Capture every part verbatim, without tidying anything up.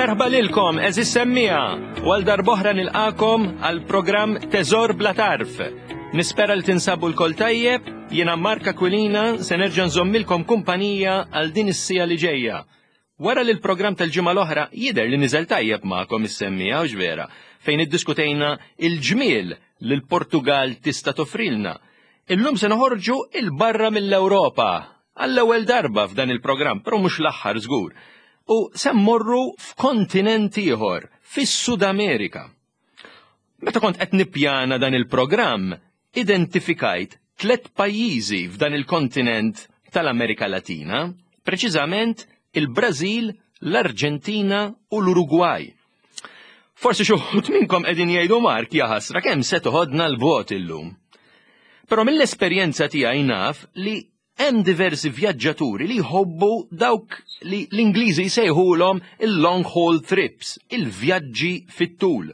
Merħba lilkom, għeżież semmiegħa, u għal darb'oħra nilqagħkom għal programm Teżor Bla Tarf. Nispera li tinsabu lkoll tajjeb, jiena Mark Aquilina se nerġa' nżommilkom kumpanija għal din is-siegħa li ġejja. Wara li l-programm tal-ġimgħa l-oħra jidher li niżel tajjeb magħkom is-semmiegħa u vera, fejn iddiskutejna il-ġmiel li l-Portugal tista' toffrilna. Illum se noħorġu 'il barra mill-Ewropa għall-ewwel darba f'dan il-programm, però mhux l-aħħar żgur. U se mmorru f'kontinent ieħor, fis-Sud Amerika. Meta kont qed nippjana dan il-programm, identifikajt tliet pajjiżi f'dan il-kontinent tal-Amerika Latina, preċiżament il-Brażil, l-Arġentina u l-Urugwaj. Forsi xi wħud minnkom qegħdin jgħidu Mark jaħasra kemm se toħodna 'l bogħod illum. Però mill-esperjenza tiegħi naf li hemm diversi vjaġġaturi li jħobbu dawk li l-Ingliżi jsejħulhom il-long haul trips, il-vjaġġi fit-tul.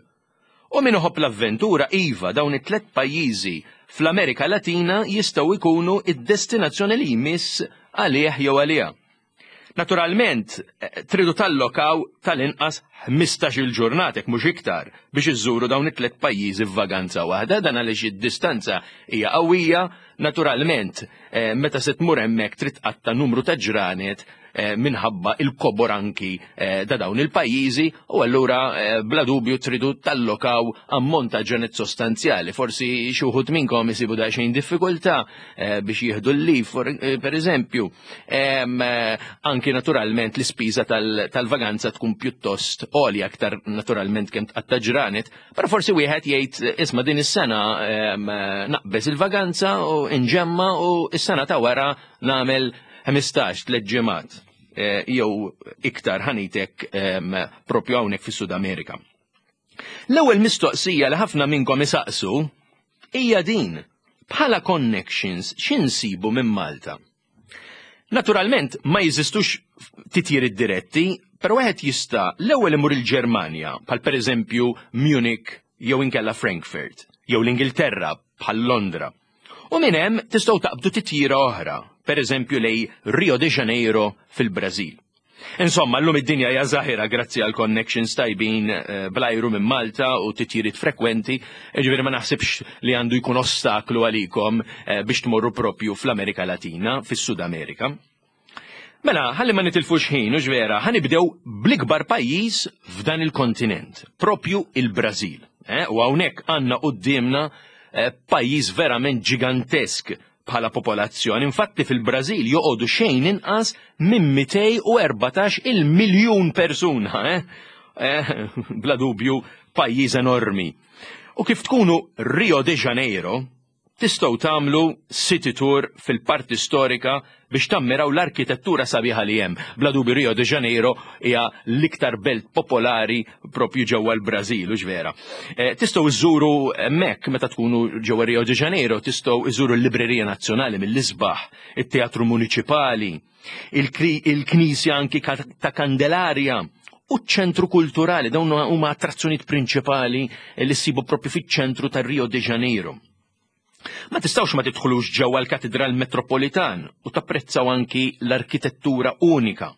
U min iħobb l-avventura iva dawn it-tlet pajjiżi fl-Amerika Latina jistgħu jkunu id-destinazzjoni li jmiss għalih jew għaliha. Naturalment, eh, tridu tallokaw tal-inqas ħmistax-il ġurnata mhux iktar biex iżżuru dawn it-tlet pajjiżi f'vaganza waħda, dan għaliex id-distanza hija qawwija, naturalment, eh, meta se tmur hemmhekk trid tqatta' numru ta' ġranet eh, minħabba il-kobor anki ta' dawn il-pajjiżi u allura bla dubju tridu tallokaw ammont ta' ġranet sostanzjali. Forsi xi wħud minnkom isibu daqsxejn diffikultà biex jieħdu l-leave, per eżempju. Anki naturalment l-ispiża tal-vaganza tkun pjuttost għolja aktar naturalment kemm tqatta' ġranet, però forsi wieħed jgħid isma' din is-sena naqbeż il-vaganza u inġemma u s-sena ta' wara nagħmel ħmistax tliet ġimgħat jew iktar ħanitek propju hawnhekk fis-Sud Amerika. L-ewwel mistoqsija li ħafna minnkom isaqsu hija din: bħala connections x'insibu minn Malta? Naturalment ma jeżistux titjiriet diretti, però wieħed jista' l-ewwel imur il-Ġermanja, bħal pereżempju Munich jew inkella Frankfurt, jew l-Ingilterra bħal Londra. U minn hemm tistgħu taqbdu titjira oħra, pereżempju lejn Rio de Janeiro fil-Brażil. Insomma, llum id-dinja hija żgħira grazzi għal connections tajbin eh, bl-ajru minn Malta u titjiriet frekwenti, ġifieri ma naħsibx li għandu jkun ostaklu għalikom eh, biex tmorru propju fl-Amerika Latina, fis-Sud Amerika. Mela, ħalli ma nitilfux ħin, u vera, ħa nibdew bl-ikbar pajjiż f'dan il-kontinent, propju il-Brażil. Eh? U hawnhekk għandna quddiemna eh, pajjiż verament ġigantesk bħala popolazzjoni. Infatti fil-Brażil joqogħdu xejn inqas minn mitejn u erbatax il-miljun persuna. Eh? Eh, bla dubju pajjiż enormi. U kif tkunu Rio de Janeiro, tistgħu tagħmlu city tour fil-parti storika biex tammiraw l-arkitettura sabiħa li hemm. Bla dubju Rio de Janeiro hija l-iktar belt popolari propju ġewwa l-Brażil, u vera. Eh, tistgħu iżuru hemmhekk meta tkunu ġewwa Rio de Janeiro, tistgħu iżuru l-Librerija Nazzjonali mill-isbaħ, it-Teatru Municipali, il-Knisja anki ta' Candelaria, u ċ-ċentru kulturali, dawn huma attrazzjonijiet prinċipali li ssibu propju fiċ-ċentru ta' Rio de Janeiro. Ma tistgħux ma tidħlux ġewwa l-Katedral Metropolitan u tapprezzaw anki l-arkitettura unika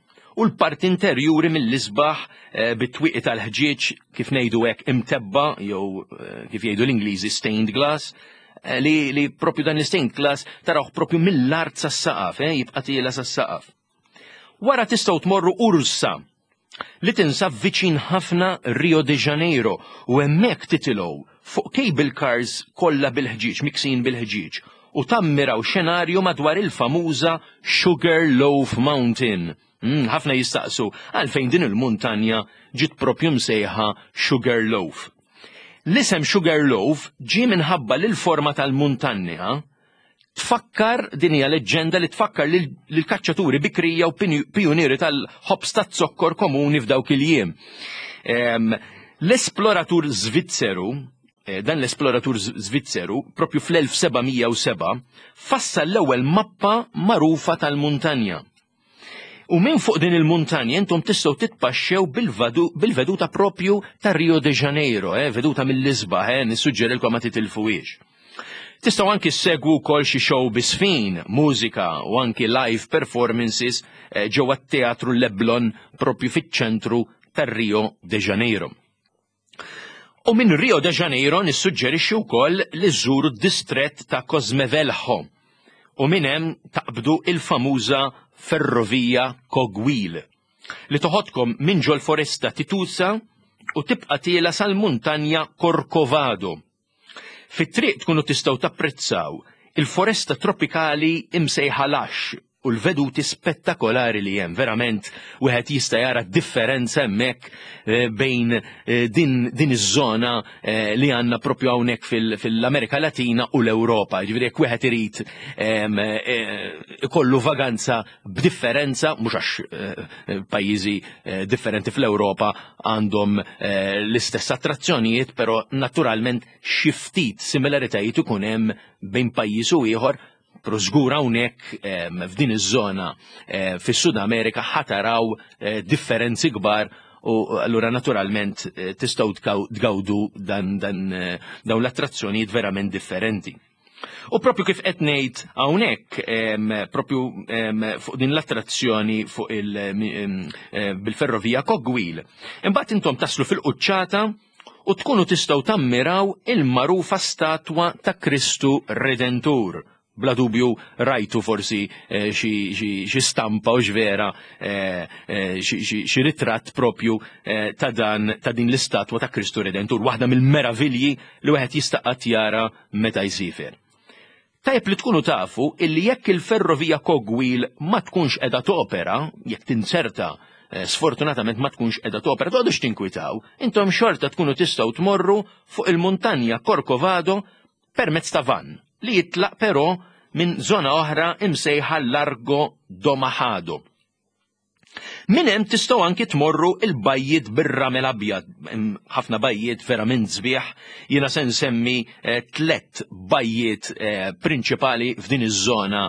u l-parti interjuri mill-isbaħ eh, bit-twieqi tal-ħġieġ kif ngħidu hekk imtebba jew eh, kif jgħidu l-Ingliżi stained glass, eh, li, li propju dan l-stained glass tarawh propju mill-art sas-saqaf, eh, jibqa' tiela sas-saqaf. Wara tistgħu tmorru Ursa li tinsab viċin ħafna Rio de Janeiro u hemmhekk titilgħu fuq cable cars kollha bil-ħġieġ, miksin bil-ħġieġ, u tammiraw xenarju madwar il-famuża Sugar Loaf Mountain. Mm, ħafna jistaqsu għalfejn din il-muntanja ġiet propju msejħa Sugar Loaf. L-isem Sugar Loaf ġie minħabba li l-forma tal-muntanja tfakkar, din hija leġġenda li tfakkar lil kaċċaturi bikrija u pijunieri tal-ħobż taz-zokkor komuni f'dawk il-jiem. L-esploratur Svizzeru, eh, dan l-esploratur Svizzeru, propju fl-elf seba' mija u seba', fassal l-ewwel mappa magħrufa tal-muntanja. U minn fuq din il-muntanja intom tistgħu titpaxxew bil-veduta propju ta' Rio de Janeiro, eh, veduta mill-isbaħ, eh, nissuġġerilkom ma titilfuhiex. Tistgħu anki ssegwu wkoll xi show bisfin, mużika u anki live performances, eh, ġewwa t-Teatru Leblon propju fiċ-ċentru ta' Rio de Janeiro. U minn Rio de Janeiro nissuġġerixxi wkoll li żżuru d-distrett ta' Cosme Velho u minn hemm taqbdu il-famuża ferrovija Cogwheel li toħodkom minn ġol foresta Titusa u tibqa' tiela sal-muntanja Corcovado. Fit-triq tkunu tistgħu tapprezzaw il-foresta tropikali imsejħa Lax u l-veduti spettakolari li hemm. Verament wieħed jista' jara differenza hemmhekk eh, bejn eh, din, din iż-żona eh, li għandna propju hawnhekk fil-Amerika Latina u l-Ewropa. Ġifieri jekk wieħed irid ikollu vaganza b'differenza, mhux għax pajjiżi differenti fl-Ewropa għandhom l-istess attrazzjonijiet, però naturalment xi ftit similaritajiet ikun hemm bejn pajjiż u ieħor. Però żgur hawnhekk f'din iż-żona fis-Sud Amerika ħataraw differenzi kbar u allura naturalment tistgħu tgawdu dan dawn l-attrazzjonijiet verament differenti. U propju kif qed ngħid hawnhekk, propju fuq din l-attrazzjoni fuq il bil-ferrovija Cogwheel, imbagħad intom taslu fil-quċċata u tkunu tistgħu tammiraw il-magħrufa statwa ta' Kristu Redentur. Bla dubju rajtu forsi xi stampa u x'vera xi ritratt propju ta' dan ta' din l-istatwa ta' Kristu Redentur, waħda mill-meravilji li wieħed jista' qatt jara meta jsifer. Tajjeb li tkunu tafu illi jekk il-ferrovija Cogwheel ma tkunx qiegħda topera, jekk tinserta sfortunatament ma tkunx qiegħda topera, toqgħodux tinkwitaw, intom xorta tkunu tistgħu tmorru fuq il-muntanja Corcovado permezz ta' van li jitlaq però minn zona oħra imsejħa Largo do Majado. Minn hemm tistgħu anki tmorru il-bajjiet bir-ramel abjad, ħafna bajjiet verament sbieħ, jiena se nsemmi tliet bajjiet prinċipali f'din iż-żona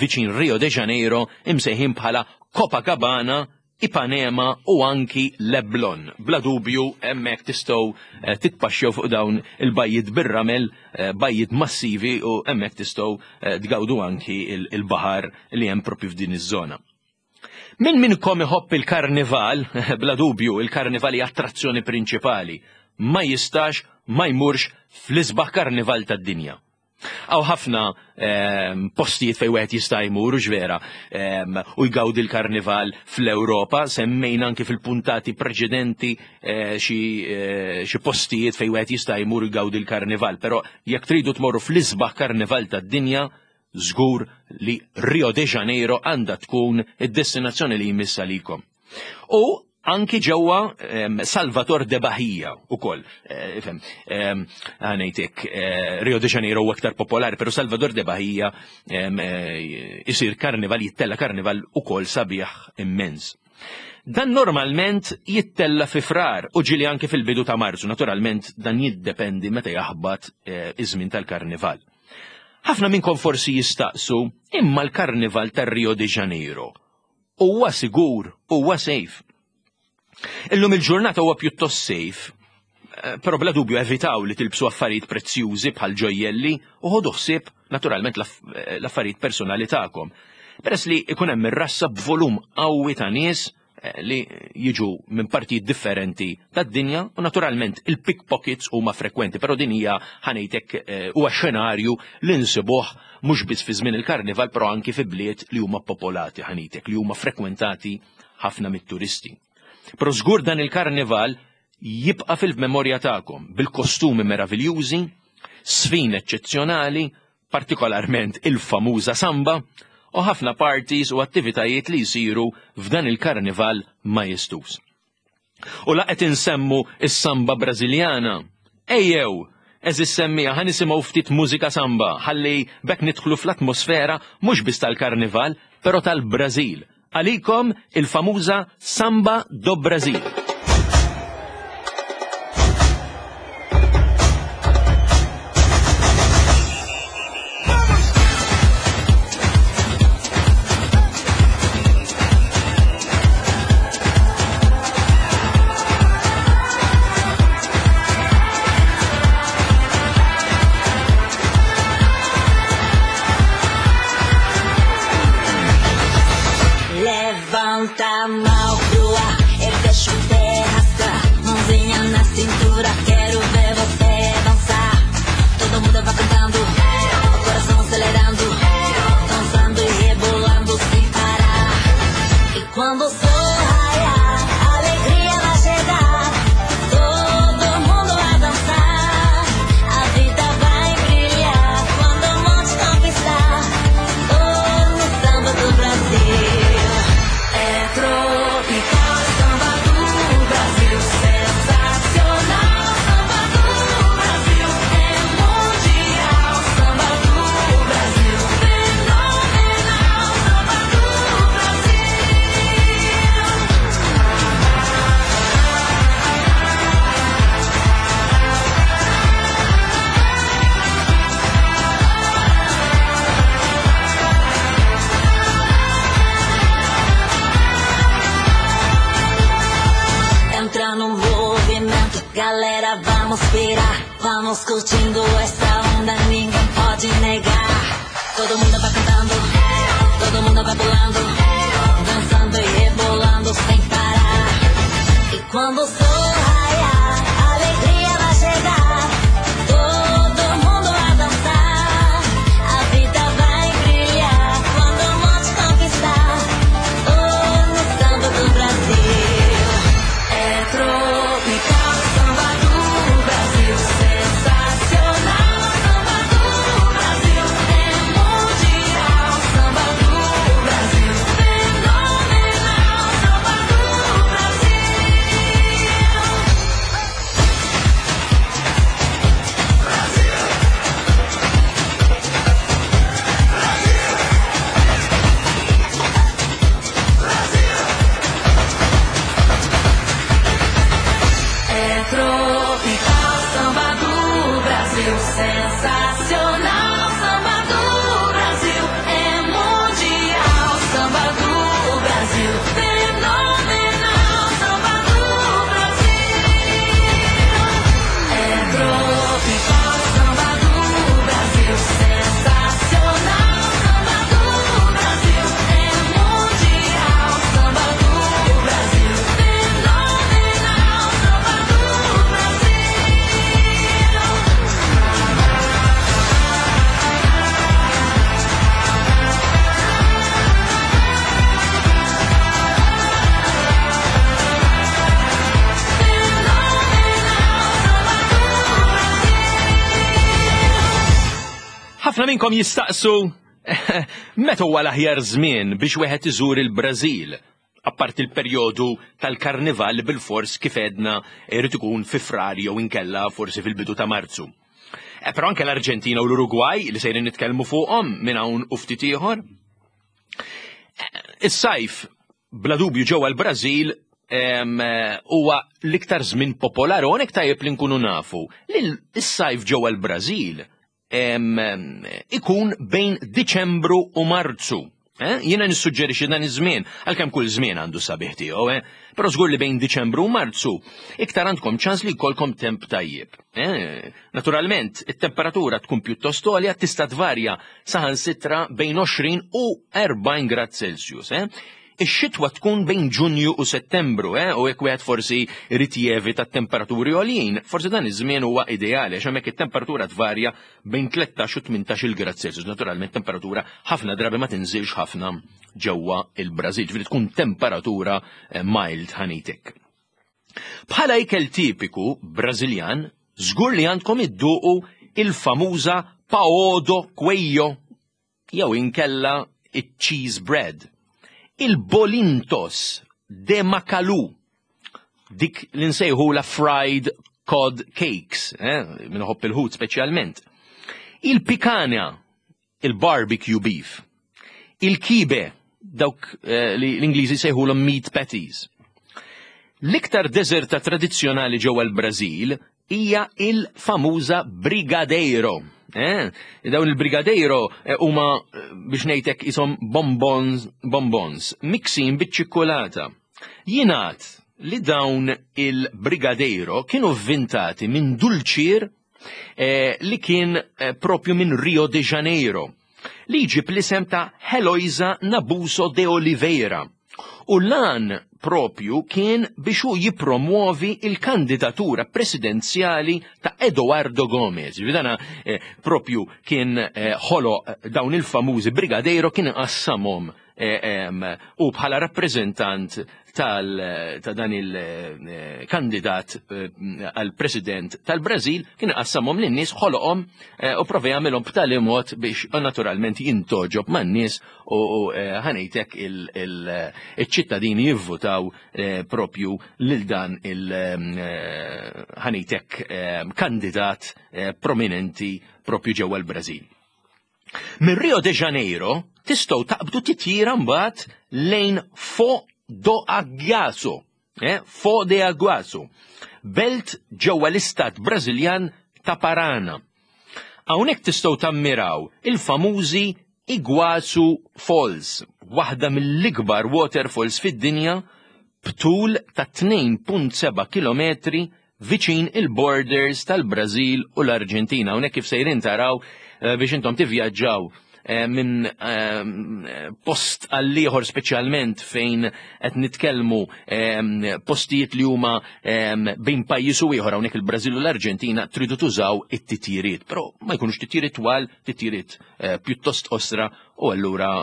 viċin Rio de Janeiro imsejħin bħala Copacabana, Ipanema u anki Leblon. Bla dubju hemmhekk tistgħu titpaxxew fuq dawn il-bajjiet bir-ramel, bajjiet massivi, u hemmhekk tistgħu tgawdu anki il-baħar li hemm propju f'din iż-żona. Min minnkom iħobb il-karnival, bla dubju il-karnival hija attrazzjoni prinċipali, ma jistax ma jmurx fl-isbaħ karnival tad-dinja. Għaw ħafna postijiet fejn wieħed jista' jmur vera u jgawdi l-karnival fl-Ewropa, semmejna anki fil-puntati preċedenti xi postijiet fejn wieħed jista' jmur jgawdi l-karnival, però jekk tridu tmorru fl-isbaħ karnival tad-dinja, żgur li Rio de Janeiro għandha tkun id-destinazzjoni li jmiss għalikom. U anki ġewwa Salvador de Bahia ukoll. Ifhem, ngħidlek Rio de Janeiro huwa aktar popolari, però Salvador de Bahia isir karnival, jittella karnival ukoll sabiħ immens. Dan normalment jittella fi Frar u ġieli anke fil-bidu ta' Marzu, naturalment dan jiddependi meta jaħbat iż-żmien tal-karnival. Ħafna minnkom forsi jistaqsu, imma l-karnival tar-Rio de Janeiro huwa sigur, huwa safe. Illum il-ġurnata huwa pjuttost safe, però bla dubju evitaw li tilbsu affarijiet prezzjużi bħal ġojjelli u ħodu ħsieb naturalment l-affarijiet personali tagħkom. Peress li ikun hemm ir-rassa b'volum qawwi ta' nies li jiġu minn partijiet differenti tad-dinja u naturalment il-pickpockets huma frekwenti, però din hija ħanejtek huwa xenarju li nsibuh mhux biss fi żmien il-karnival, però anki fi bliet li huma popolati ħanejtek, li huma frekwentati ħafna mit-turisti. Però żgur dan il-karnival jibqa' fil-memorja tagħkom bil-kostumi meraviljużi, sfin eċċezzjonali, partikolarment il-famuża samba, u ħafna parties u attivitajiet li jsiru f'dan il-karnival majestuż. U la qed insemmu is-samba Brażiljana. Ejjew, eżis semmija ħa nisimgħu ftit mużika samba, ħalli bekk nidħlu fl-atmosfera mhux biss tal-karnival, però tal-Brażil. Għalikom il-famuża Samba do Brasil. Levanta a mão pro ar, eu fecho o tá no movimento. Galera, vamos pirar, vamos curtindo essa onda, ninguém pode negar. Todo mundo vai cantando, todo mundo vai pulando, dançando e rebolando sem parar. E quando o sol raiar, a alegria vai chegar. Todo mundo vai dançar, a vida vai brilhar. Quando o mundo te conquistar, oh, no samba do Brasil. É tropical, samba do Brasil, sensacional, samba do Brasil, é mundial, samba do Brasil, fenomenal, samba do Brasil. É tropical, samba do Brasil, sensacional, samba do Brasil, é mundial, samba do Brasil, fenomenal, samba do Brasil. É tropical, samba do Brasil, sensacional, samba do Brasil, é mundial, samba do Brasil, fenomenal, samba do Brasil. Ħafna minnkom jistaqsu meta huwa l-aħjar żmien biex wieħed iżur il-Brażil, apparti il-perjodu tal-karnival bil-fors kif għedna irid ikun fi Frar jew inkella forsi fil-bidu ta' Marzu. E, però anke l-Arġentina u l-Urugwaj li sejrin nitkellmu fuqhom minn hawn u ftit ieħor. Is-sajf bla dubju ġewwa l-Brażil em, huwa l-iktar żmien popolari u hawnhekk tajjeb li nkunu nafu li s-sajf ġewwa l-Brażil em, ikun bejn Diċembru u Marzu. Eh? Jiena nissuġġerixxi dan iż-żmien, għalkemm kull żmien għandu sabiħ tiegħu, eh? Però żgur li bejn Diċembru u Marzu iktar għandkom ċans li jkollkom temp tajjeb. Eh? Naturalment, it-temperatura tkun pjuttost għolja, tista' tvarja saħansitra bejn għoxrin u erbgħin grad Celsius. Eh? Ix-xitwa tkun bejn Ġunju u Settembru, eh? U jekk wieħed forsi irid jevita t-temperaturi għoljin, forsi dan iż-żmien huwa ideali għax hemmhekk it-temperatura tvarja bejn tlettax u tmintax il grad Celsius. Naturalment temperatura ħafna drabi ma tinżilx ħafna ġewwa il-Brażil, ġifieri tkun temperatura eh, mild ħanitek. Bħala ikel tipiku Brażiljan, żgur li għandkom idduqu il-famuża pão de queijo jew inkella iċ-cheese bread. Il-bolintos de Macalu, dik li nsejħu la fried cod cakes, eh, minħobb il-ħut speċjalment. Il-picanha, il-barbecue beef. Il-kibe, dawk eh, li l-Ingliżi sejħu meat patties. L-iktar deżerta tradizzjonali ġewwa l-Brażil hija il-famuża brigadeiro. Eh? Dawn il-brigadeiro eh, huma eh, biex ngħidlek ishom bonbons, bonbons miksin biċ-ċikkulata. Jingħad li dawn il-brigadeiro kienu vvintati minn dulċier eh, li kien eh, propju minn Rio de Janeiro, li jġib l-isem ta' Heloisa Nabuso de Oliveira. U lan propju kien biex hu jipromuovi il-kandidatura presidenzjali ta' Eduardo Gomez. Vidana eh, propju kien eh, ħolo dawn il-famużi brigadeiro, kien qassamhom eh, em, u bħala rappreżentant tal, ta' dan il-kandidat għal president tal-Brażil kien qassamhom lin-nies, ħoloqhom eh, u prova jagħmilhom b'tali mod biex naturalment jintoġob man-nies u, u eh, ħanejtek il-ċittadini jivvutaw eh, propju lil dan il eh, ħanejtek eh, kandidat eh, prominenti propju ġewwa l-Brażil. Min Rio de Janeiro tistgħu taqbdu titjira mbagħad lejn Foz do Iguaçu, eh? Foz de Iguaçu, belt ġewwa l-istat Brażiljan ta' Parana. Hawnhekk tistgħu tammiraw il-famużi Iguaçu Falls, waħda mill-ikbar waterfalls fid-dinja b'tul ta' tnejn punt seba' kilometri viċin il-borders tal-Brażil u l-Arġentina. Hawnhekk kif sejrin taraw, eh, biex intom tivvjaġġaw eh, minn eh, post għall-ieħor, speċjalment fejn qed nitkellmu postijiet li huma bejn pajjiż u ieħor, hawnhekk il-Brażil u l-Arġentina, tridu tużaw it-titjiriet, però ma jkunux titjiriet twal, titjiriet pjuttost qosra u allura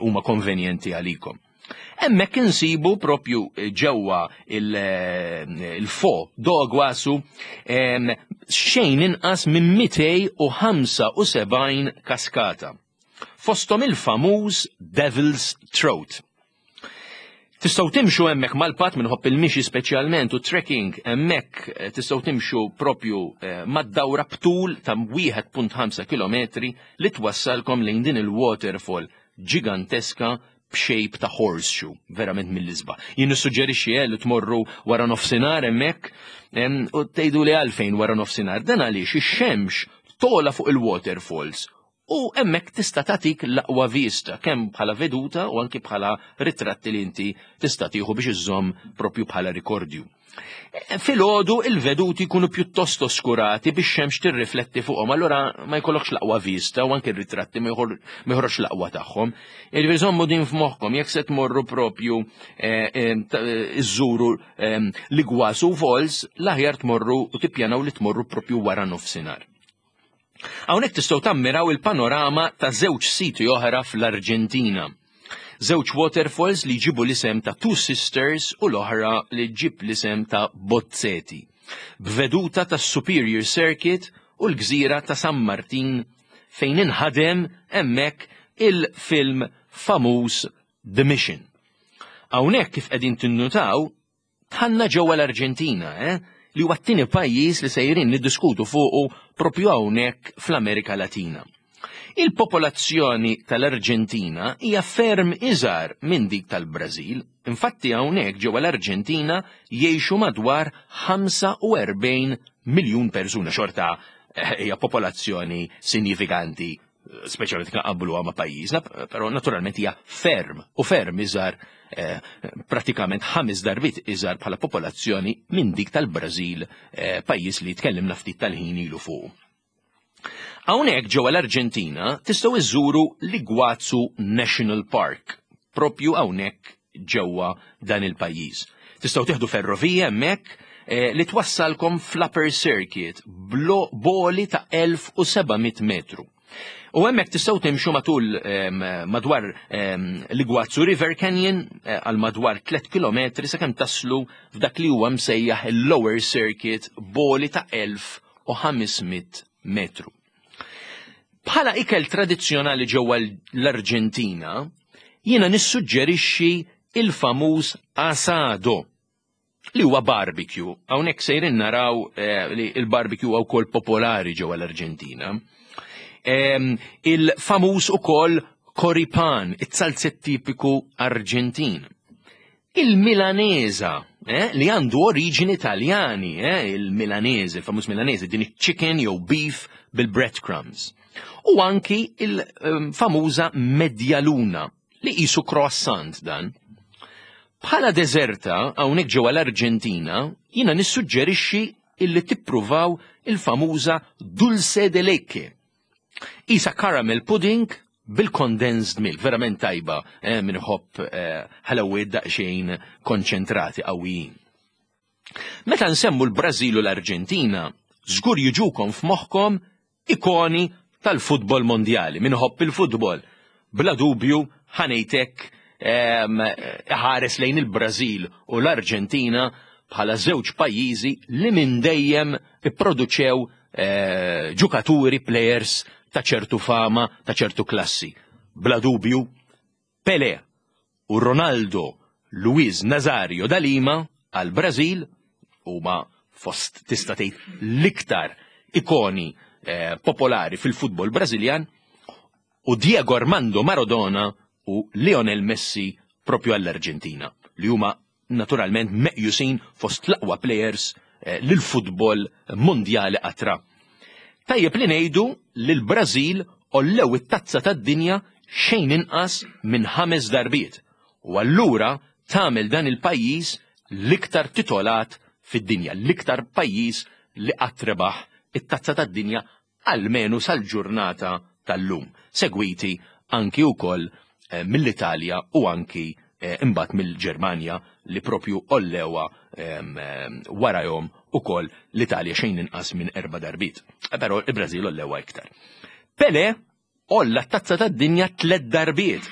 huma konvenjenti għalikom. Hemmhekk insibu propju ġewwa il-Foz do Iguaçu xejn inqas minn mitejn u ħamsa u sebgħin kaskata. Fostom il-famuż Devil's Throat. Tistgħu timxu hemmhekk mal-path, min iħobb il-mixi speċjalment u trekking hemmhekk, eh, tistgħu timxu propju eh, mad-dawra b'tul ta' wieħed punt ħamsa kilometri li twassalkom lejn din il-waterfall ġiganteska b'shape ta' horseshoe, verament mill-isbaħ. Jien nissuġġerixxi eh, li tmorru wara nofsinhar hemmhekk u tgħidu li għalfejn wara nofsinhar. Dan għaliex ix-xemx togħla fuq il-waterfalls u hemmhekk tista' tagħtik l-aqwa vista kemm bħala veduta u anki bħala ritratti li inti tista' tieħu biex iżżomm propju bħala rikordju. Filgħodu il-veduti jkunu pjuttost oskurati biex xemx tirrifletti fuqhom, allura ma jkollokx l-aqwa vista u anke r-ritratti ma joħroġx l-aqwa tagħhom. Jiġifieri żommu din f'moħħkom jekk se tmorru propju eh, eh, iżżuru eh, l-Iguazu Falls, l-aħjar tmorru u tippjanaw li tmorru propju wara nofsinhar. Hawnhekk tistgħu tammiraw il-panorama ta' żewġ siti oħra fl-Arġentina. Żewġ waterfalls li jġibu l-isem ta' Two Sisters u l-oħra li ġib l-isem ta' Bozzeti. B'veduta ta' Superior Circuit u l-gżira ta' San Martin fejn inħadem hemmhekk il-film famuż The Mission. Hawnhekk kif qegħdin tinnutaw, dħalna ġewwa l-Arġentina, eh? Li huwa t-tieni pajjiż li sejrin niddiskutu fuqu propju hawnhekk fl-Amerika Latina. Il-popolazzjoni tal-Arġentina hija ferm iżgħar minn dik tal-Brażil. Infatti hawnhekk ġewwa l-Arġentina jgħixu madwar ħamsa u erbgħin miljun persuna, xorta eh, hija popolazzjoni sinifikanti, speċjalment nqabbluha ma' pajjiżna, però naturalment hija ferm u ferm iżgħar, eh, pratikament ħames darbiet iżgħar bħala popolazzjoni minn dik tal-Brażil, eh, pajjiż li tkellimna ftit tal-ħin ilu fuq. Hawnhekk ġewwa l-Arġentina tistgħu iżżuru l-Iguazu National Park, propju hawnhekk ġewwa dan il-pajjiż. Tistgħu tieħdu ferrovija hemmhekk eh, li twassalkom fl-Upper Circuit b'għoli ta' elf u seba' mitt metru. U hemmhekk tistgħu timxu matul madwar l-Iguazu River Canyon eh, għal madwar tliet kilometri sakemm taslu f'dak li huwa msejjaħ il-Lower Circuit b'għoli ta' elf u ħames mitt metru. Bħala ikel tradizzjonali ġewwa l-Arġentina, jiena nissuġġerixxi il-famuż asado li huwa barbecue. Hawnhekk sejrin naraw eh, li il-barbecue huwa wkoll popolari ġewwa l-Arġentina. Il-famuż ukoll choripan, it-zalzett tipiku Arġentin. Il-Milanesa, eh, li għandu oriġini Taljani, eh, il-Milanese, il-famuż Milanese, din chicken jew beef bil-breadcrumbs. U anki il-famuża medialuna, li qisu croissant dan. Bħala deżerta, hawnhekk ġewwa l-Arġentina, jiena nissuġġerixxi illi tippruvaw il-famuża dulce de leche. Isa caramel pudding bil-condensed milk, verament tajba, eh, min iħobb eh, ħalawiet daqsxejn konċentrati qawwijin. Meta nsemmu l-Brażil u l-Arġentina, żgur jiġukom f'moħħkom ikoni tal-futbol mondjali, min iħobb il-futbol. Bla dubju ħa ngħidlek ħares lejn il-Brażil u l-Arġentina bħala żewġ pajjiżi li minn dejjem ipproduċew eh, ġukaturi, players ta' ċertu fama, ta' ċertu klassi. Bla dubju, Pelé u Ronaldo Luiz Nazario da Lima għal Brażil huma fost, tista' tgħid, l-iktar ikoni eh, popolari fil-futbol Brażiljan u Diego Armando Maradona u Lionel Messi propju għall-Arġentina, li huma naturalment meqjusin fost l-aqwa players eh, lil-futbol mondjali qatra. Tajjeb li ngħidu li l-Brażil għollew it-tazza tad-dinja xejn inqas minn ħames darbiet. U allura tagħmel dan il-pajjiż l-iktar titolat fid-dinja, l-iktar pajjiż li qatt rebaħ it-tazza tad-dinja almenu sal-ġurnata tal-lum, segwiti anki wkoll eh, mill-Italja u anki eh, imbagħad mill-Ġermanja li propju ollewa ehm, ehm, warajhom ukoll l-Italja xejn inqas minn erba' darbiet. Eh, Però il-Brażil ollewa iktar. Pele olla t-tazza tad-dinja tliet darbiet.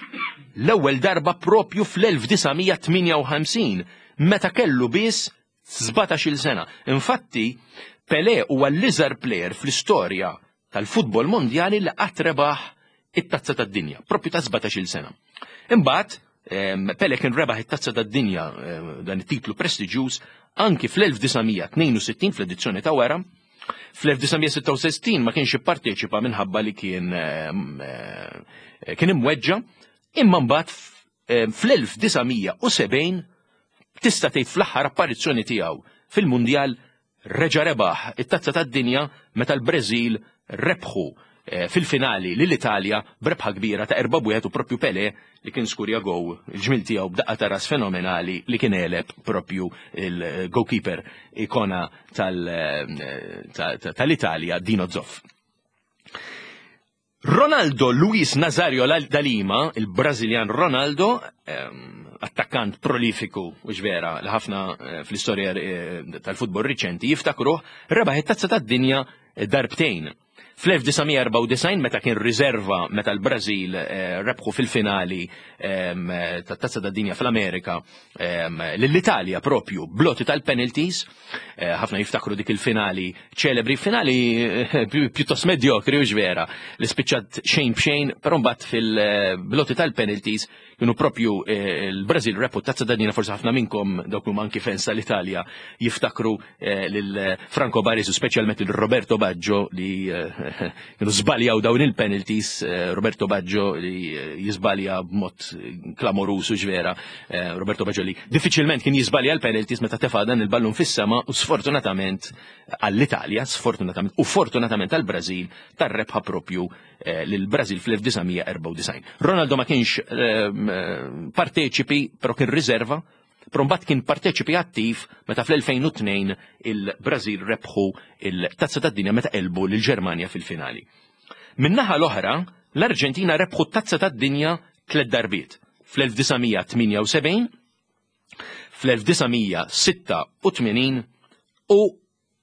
L-ewwel darba propju fl-elf disa' mija tmienja u ħamsin meta kellu biss sbatax-il sena. Infatti, Pele huwa l-iżgħar player fl-istorja tal-futbol mondjali li qatt rebaħ it-tazza tad-dinja, propju ta' sbatax-il sena. Imbagħad em, Pele kien rebaħ it-tazza tad-dinja, em, dan it-titlu prestiġjuż, anki fl-elf disa' mija tnejn u sittin fl-edizzjoni ta' wara. Fl-elf disa' mija sitta u sittin ma kienx ipparteċipa minħabba li kien em, eh, kien imweġġa, imma mbagħad fl-elf disa' mija sebgħin, tista' tgħid fl-aħħar apparizzjoni tiegħu fil-Mundjal, reġa' rebaħ it-tazza tad-dinja meta l-Brażil rebħu eh, fil-finali lill-Italja b'rebħa kbira ta' erba' wieħed u propju Pele li kien skurja gow il-ġmil tiegħu b'daqqa ta' ras fenomenali li kien għeleb propju il-goalkeeper ikona eh, tal-Italja, Dino Zoff. Ronaldo Luis Nazario da Lima, il-Brażiljan Ronaldo, ehm, attakkant prolifiku u vera li ħafna eh, fl-istorja eh, tal-futbol riċenti jiftakruh, rebaħ it-tazza tad-dinja darbtejn. Fl-elf disa' mija erbgħa u disgħin meta kien riserva meta l-Brażil eh, rebħu fil-finali ehm, tat-tazza tad-dinja fl-Amerika ehm, lill-Italja propju bl-għoti tal-penalties, eh, ħafna jiftakru dik il-finali ċelebri, finali eh, pjuttost medjokri u vera, li spiċċat xejn b'xejn, però mbagħad fil-bl-għoti tal-penalties kienu propju l-Brażil rebħu tazza tad-dinja. Forsi ħafna minnkom, dawk huma anki fans tal-Italja, jiftakru lil Franco Baresi, speċjalment il Roberto Baggio li kienu żbaljaw dawn il-penalties, eh, Roberto Baggio li eh, jizbalja b'mod klamorusu ġvera, eh, Roberto Baggio li diffiċilment kien jizbalja l-penalties meta tefa dan il-ballun fis-sema u sfortunatament għall-Italja, sfortunatament u fortunatament għall-Brażil tar-rebħa propju lil-Brażil fl-elf disa' mija erbgħa u disgħin. Ronaldo ma kienx parteċipi, però kien riserva, però mbagħad kien parteċipi attiv meta fl-elfejn u tnejn il-Brażil rebħu il-Tazza tad-Dinja meta għelbu lill-Ġermanja fil-finali. Min-naħa l-oħra, l-Arġentina rebħu t-Tazza tad-Dinja tliet darbiet: fl-elf disa' mija tmienja u sebgħin, fl-elf disa' mija sitta u tmenin u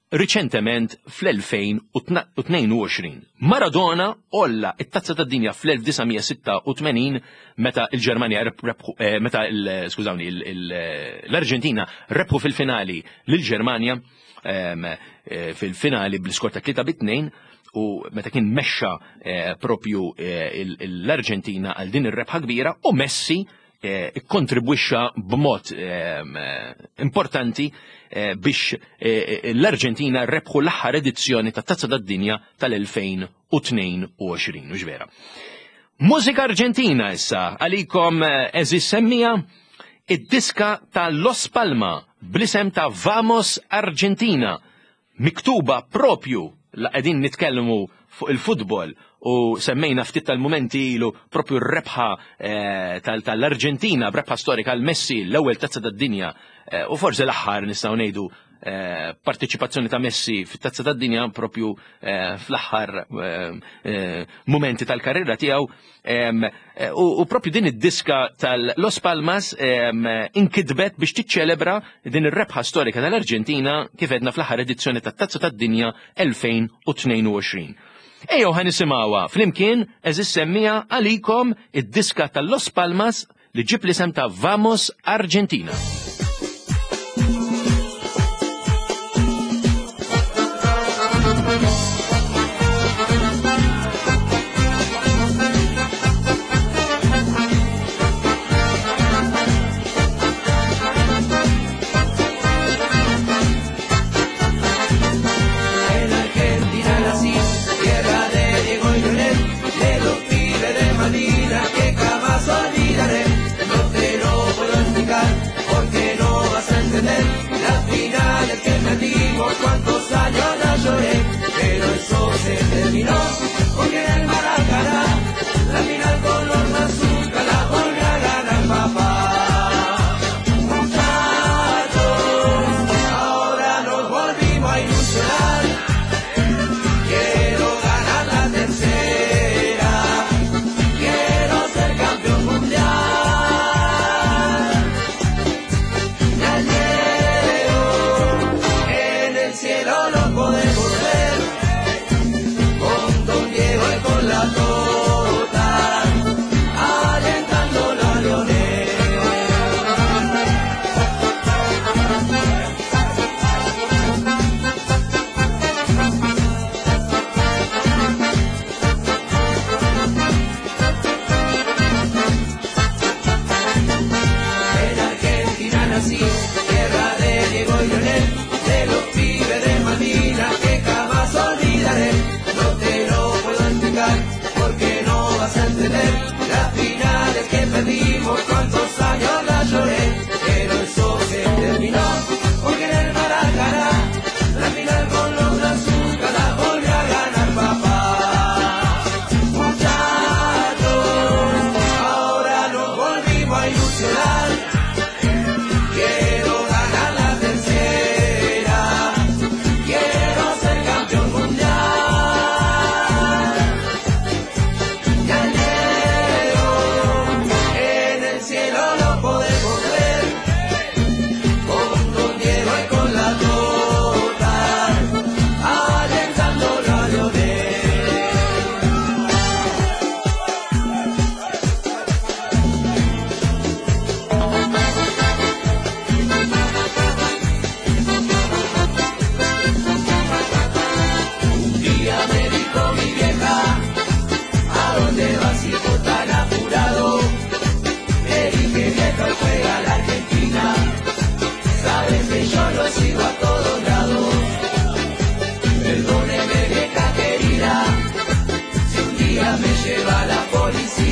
riċentement fl-elfejn u tnejn u għoxrin. Maradona olla it-tazza tad-dinja fl-elf disa' mija sitta u tmenin meta il-Ġermanja rebħu, eh, meta skużawni, l-Arġentina rebħu fil-finali lill-Ġermanja ehm, eh, fil-finali bl-iskor ta' tlieta bit-tnejn u meta kien mexxa eh, propju l-Arġentina għal din ir-rebħa kbira, u Messi ikkontribwixxa b'mod ehm, importanti biex l-Arġentina rebħu l-aħħar edizzjoni ta' Tazza tad-Dinja tal-elfejn u tnejn u għoxrin, u vera. Mużika Arġentina issa għalikom, għeżież semmiegħa, id-diska ta' Los Palma bl-isem ta' Vamos Argentina, miktuba propju la qegħdin nitkellmu fuq il-futbol u semmejna ftit tal-momenti ilu propju r-rebħa eh, tal-Arġentina, b'rebħa storika għal Messi, l-ewwel tazza tad-dinja eh, u forsi l-aħħar nistgħu ngħidu eh, partiċipazzjoni ta' Messi fit-tazza tad-dinja propju fl-aħħar momenti tal-karriera tiegħu, u propju din id-diska tal-Los Palmas inkitbet biex tiċċelebra din ir-rebħa storika tal-Arġentina kif għedna fl-aħħar edizzjoni tat-Tazza tad-Dinja elfejn u tnejn u għoxrin. Ejjew ħa nisimgħuha flimkien, għeżież semmiegħa, għalikom id-diska tal-Los Palmas li ġġib l-isem ta' Vamos Argentina. En Argentina nací, tierra de Diego y Leonel, de los pibes de Malvinas que jamás olvidaré. No te lo puedo explicar porque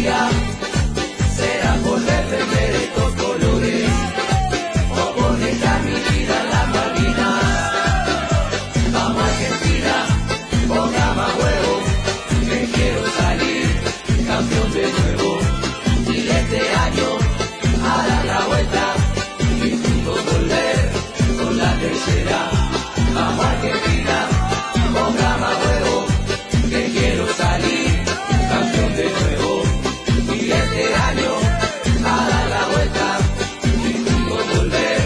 alegría será por defender estos colores o por dejar mi vida en las Malvinas. Vamos Argentina, ponga más huevo, que quiero salir campeón de nuevo. Y este año a dar la vuelta y juntos volver con la tercera. Vamos Argentina, ponga más huevo, que quiero salir campeón de nuevo. Y este año a dar la vuelta y juntos volver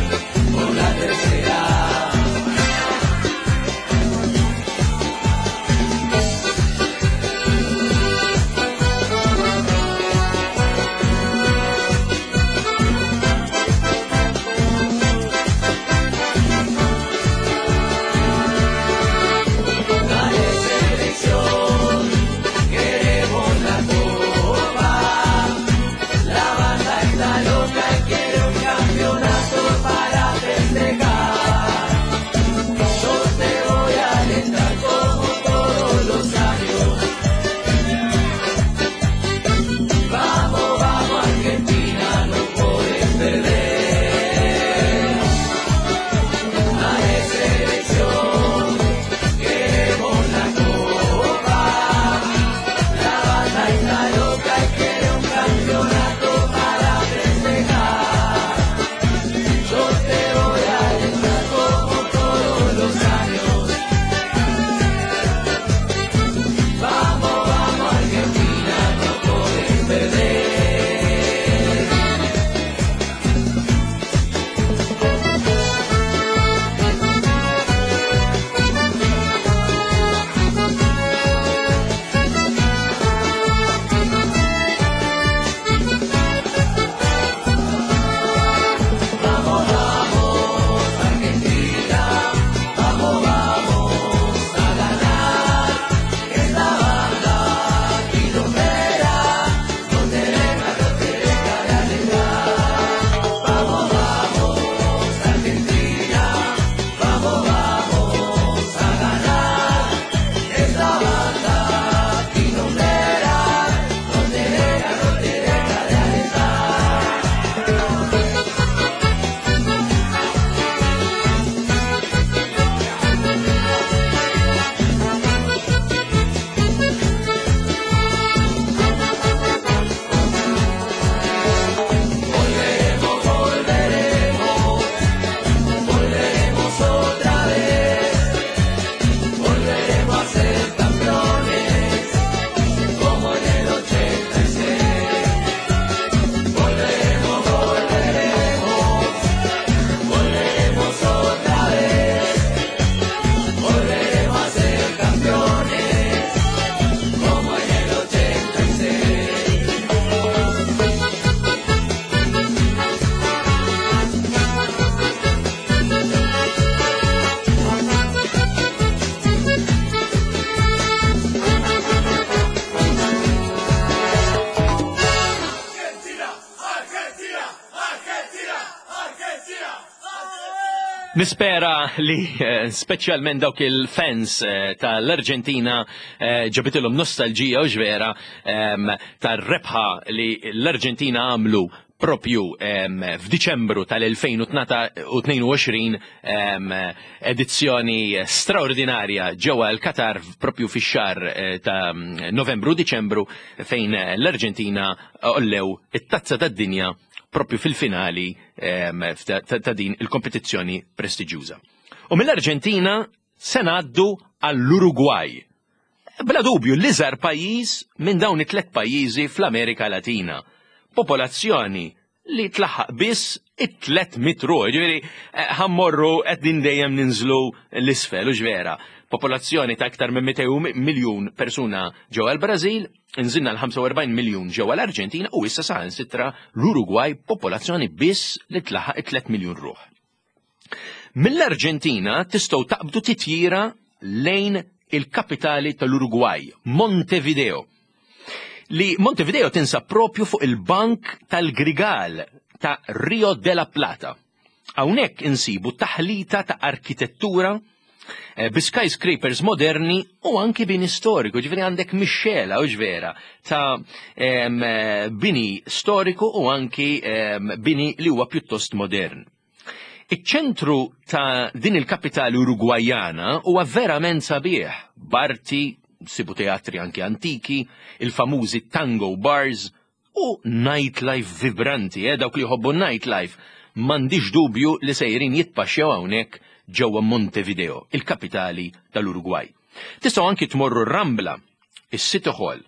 con la tercera. Dale selección, queremos la copa. La banda está loca y quiere un campeonato para festejar. Yo te voy a alentar como todos los años. Vamos, vamos Argentina, no podés perder. Dale selección, queremos la copa. La banda está loca y quiere un campeonato para festejar. Yo te voy a alentar como todos los años. Vamos, vamos Argentina, no podés perder. Vamos, vamos, Argentina, vamos, vamos a ganar. Esta banda quilombera no te deja, no te deja de alentar. Vamos, vamos, Argentina, vamos, vamos a ganar. Esta banda quilombera no te deja, no te deja de alentar. Volveremos, volveremos, volveremos otra vez. Volveremos a ser campeones, como en el ochenta y seis. Volveremos, volveremos, volveremos otra vez. Volveremos a ser campeones, como en el ochenta y seis. Nispera li eh, speċjalment dawk il-fans eh, tal-Arġentina eh, ġabitilhom nostalġija u ġvera ehm, tar-rebħa li l-Arġentina għamlu propju ehm, f'Diċembru tal-elfejn u tnejn u għoxrin, ehm, edizzjoni straordinarja ġewwa l-Qatar propju fix-xahar eh, ta' Novembru Diċembru, fejn l-Arġentina għollew it-tazza tad-dinja propju fil-finali ehm, ta', ta' din il-kompetizzjoni prestiġjuża. U mill-Arġentina se ngħaddu għall-Uruguay. Bla dubju l-iżgħar pajjiż minn dawn it-tlet pajjiżi fl-Amerika Latina. Popolazzjoni li tlaħħaq biss it-tliet mitt ruħ, ġifieri eh, ħa mmorru qegħdin dejjem ninżlu l-isfel, u ġvera. Popolazzjoni ta' aktar minn mitejn miljun persuna ġewwa l-Brażil, nżilna l-ħamsa u erbgħin miljun ġewwa l-Arġentina u issa saħansitra l-Uruguay, popolazzjoni biss li tlaħħaq it-tliet miljun ruħ. Mill-Arġentina tistgħu taqbdu titjira lejn il-kapitali tal-Uruguay, Montevideo. Li Montevideo tinsab propju fuq il-bank tal-Grigal ta' Rio de la Plata. Hawnhekk insibu taħlita ta' arkitettura, Eh, bi skyscrapers moderni u anki bini storiku, ġifieri għandek mixxela u ġvera ta' em, eh, bini storiku u anki em, bini li huwa pjuttost modern. Iċ-ċentru ta' din il-kapitali Urugwajana huwa verament sabiħ, b'arti, sibu teatri anki antiki, il-famużi tango bars u nightlife vibranti, eh, dawk li jħobbu nightlife, m'għandix dubju li sejrin jitpaxxew hawnhekk ġewwa Montevideo, il-kapitali tal-Urugwaj. Tistgħu anki tmorru Rambla, is-City Hall,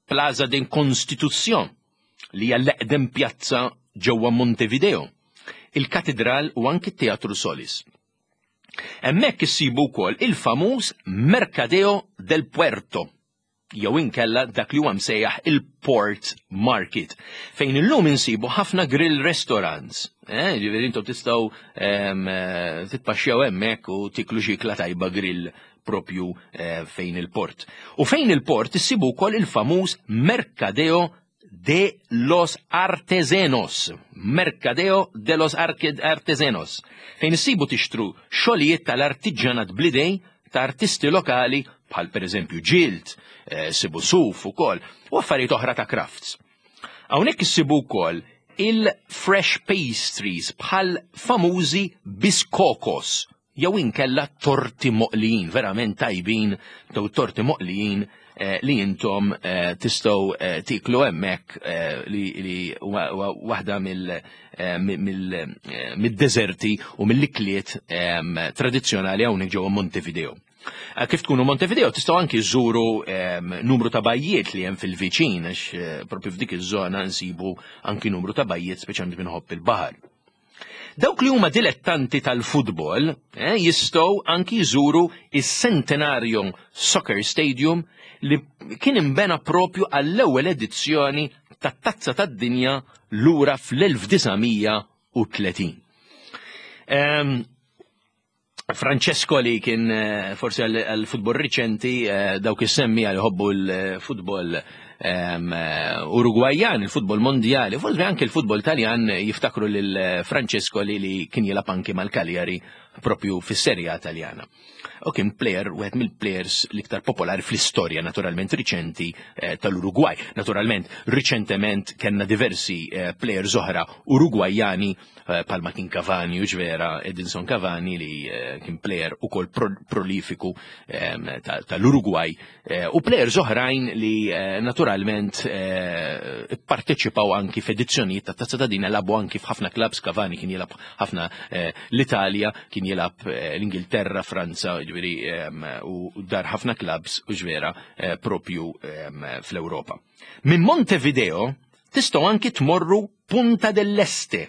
Plaza de Constitución, li hija l-eqdem pjazza ġewwa Montevideo, il-Katedral u anki t-Teatru Solis. Hemmhekk issibu wkoll il-famuż Mercadeo del Puerto, jew inkella dak li huwa msejjaħ il-Port Market, fejn illum insibu ħafna grill restaurants. Eh, ġifieri intom tistgħu em, eh, titpaxxew hemmhekk u tiklu xi ikla tajba grill propju eh, fejn il-port. U fejn il-port issibu wkoll il-famuż Mercadeo de los Artesenos. Mercadeo de los Arque- Artesenos. Fejn issibu tixtru xogħlijiet tal-artiġjanat bl-idejn ta' artisti lokali bħal per eżempju ġild, eh, sibu suf ukoll, u affarijiet oħra ta' crafts. Hawnhekk issibu wkoll il-fresh pastries bħal famużi biscocos, jew inkella torti moqlijin, verament tajbin, daw torti moqlijin eh, li intom eh, tistgħu eh, tiklu hemmhekk eh, li, li huwa huwa waħda mill eh, mill eh, mid-deżerti u mill-ikliet em, tradizzjonali hawnhekk ġewwa Montevideo. Eh, Kif tkunu Montevideo tistgħu anki żżuru em, numru ta' bajjiet li hemm fil-viċin għax eh, propju f'dik iż-żona nsibu anki numru ta' bajjiet speċjalment min iħobb il-baħar. Dawk li huma dilettanti tal-futbol eh, jistgħu anki jżuru is-Centenario Soccer Stadium li kien imbena propju għall-ewwel edizzjoni tat-Tazza tad-Dinja lura fl-elf disa' mija u tletin. Em, Francesco li kien eh, forsi għal-futbol riċenti, eh, dawk is-semmi għal jħobbu l-futbol em, eh, Urugwajan, il-futbol mondjali, forsi anke il-futbol Taljan jiftakru lil Francesco li li kien jilgħab anki mal-Cagliari propju fis-Serja Taljana. U kien player, wieħed mill-players l-iktar popolari fl-istorja naturalment riċenti eh, tal-Urugwaj. Naturalment, riċentement kellna diversi eh, players oħra Urugwajani eh, bħalma kien Cavani u ġvera Edinson Cavani li eh, kien player ukoll pro prolifiku em, ta- tal-Urugwaj eh, u players oħrajn li eh, naturalment eh, parteċipaw anki f'edizzjonijiet ta' Tazza tad-Dinja, lagħbu anki f'ħafna clubs. Cavani kien jilgħab ħafna eh, l-Italja, kien jilgħab eh, l-Ingilterra, Franza, ġifieri em, u dar ħafna clubs u ġvera eh, propju em, fl-Ewropa. Minn Montevideo tistgħu anki tmorru Punta dell'Este,